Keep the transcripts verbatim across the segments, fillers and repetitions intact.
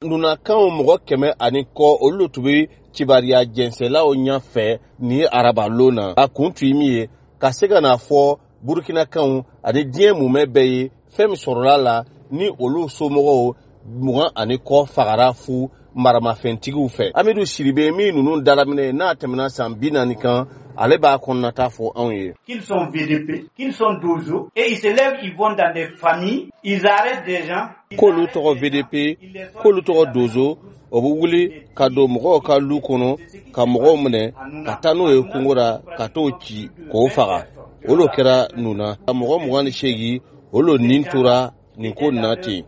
Nunakanw mɔgɔ kɛmɛ ani kɔ, olu tun bɛ kibariya jɛnsɛlaw ɲɛfɛ ni arabalon na. A kun tun ye min ye, ka se ka n'a fɔ Burukinakanw ani diɲɛ mumɛ bɛɛ ye fɛn min sɔrɔla la ni olu somɔgɔw mugan ani kɔ fagara fu maramafɛntigiw fɛ. Amidu Siribe min ninnu dalaminɛ n'a tɛmɛna san bi naani kan, ale b'a kɔnɔnata fɔ anw ye. Qu'ils sont V D P, qu'ils sont Dozo, et ils se lèvent, ils vont dans des familles, ils arrêtent des gens. K'olu tɔgɔ V D P, k'olu tɔgɔ Dozo, o bɛ wuli ka don mɔgɔw ka lu kɔnɔ ka mɔgɔw minɛ ka taa n'o ye kungo la, ka t'o ci k'o faga. O lo kɛra Nuna, mɔgɔ mugan ni seegin o lo nin tora nin ko nin na ten.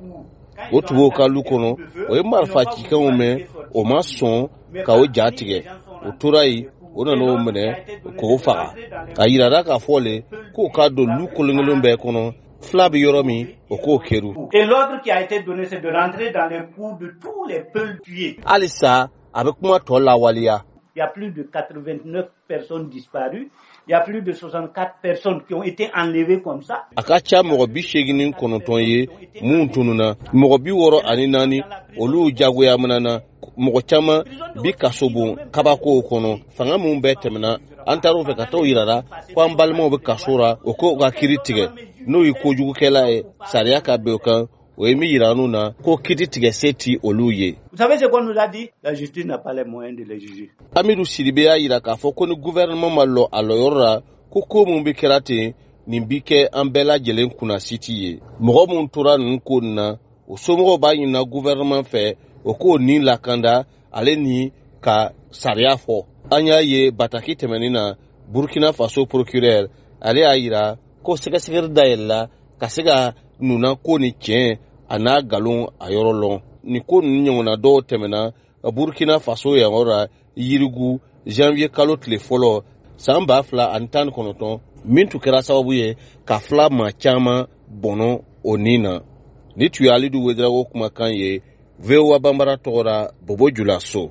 O tun b'o ka lu kɔnɔ, o ye marifa cikanw mɛn, o ma sɔn ka o ja tigɛ, o tora yen, o nana o minɛ k'o faga. A yirara k'a fɔ le k'o ka don lu kolon bɛɛ kɔnɔ, fila bɛ yɔrɔ min, o k'o kɛru. Et l'ordre qui a été donné, c'est de rentrer dans les cours de tous les Peuls tués. Halisa a bɛ kuma tɔ lawaleya. Il y a plus de quatre-vingt-neuf personnes disparues. Il y a plus de soixante-quatre personnes qui ont été enlevées comme ça. A ka ca mɔgɔ bi seegin ni kɔnɔntɔn ye mun tununa, mɔgɔ bi wɔɔrɔ ani naani olu jagoya minana, mɔgɔ caman bi kasobon kabakow kɔnɔ. Fanga mun bɛɛ tɛmɛna, an taar'o fɛ ka t'o yirara ko an balimaw bɛ kaso ra, o ko ka kiiri tigɛ, n'o ye kojugukɛla ye, sariya ka bɛn o kan. O ye min yira n'u na ko kiiri tigɛ se ti olu ye. Vous savez ce qu'on nous a dit? La justice n'a pas les moyens de les juger. Amidu Siribe y'a yira k'a fɔ ko ni gouvernement ma lɔ a lɔyɔrɔ la, ko ko mun bɛ kɛra ten, nin bi kɛ an bɛɛ lajɛlen kunnasiti ye. Mɔgɔ mun tora ninnu ko nin na, o somɔgɔw b'a ɲinina gouvernement fɛ, o k'o nin lakanda ale ni ka sariya fɔ. An y'a ye bataki tɛmɛnin na, Burkina Faso procureur ale y'a yira ko sɛgɛsɛgɛli dayɛlɛla ka se ka Nuna ko ni tiɲɛ a n'a nkalon a yɔrɔ lɔn. Nin ko ninnu ɲɔgɔnna dɔw tɛmɛna Burkina Faso yan yɔrɔ la Yirigu, janvier kalo tile fɔlɔ san ba fila ani tan ni kɔnɔntɔn, min tun kɛra sababu ye ka fila maa caman bɔnɔ o nin na. Ni tun ye Alidu Wedarawo kumakan ye, V O A Banbara tɔgɔ la, Bobo Julaso.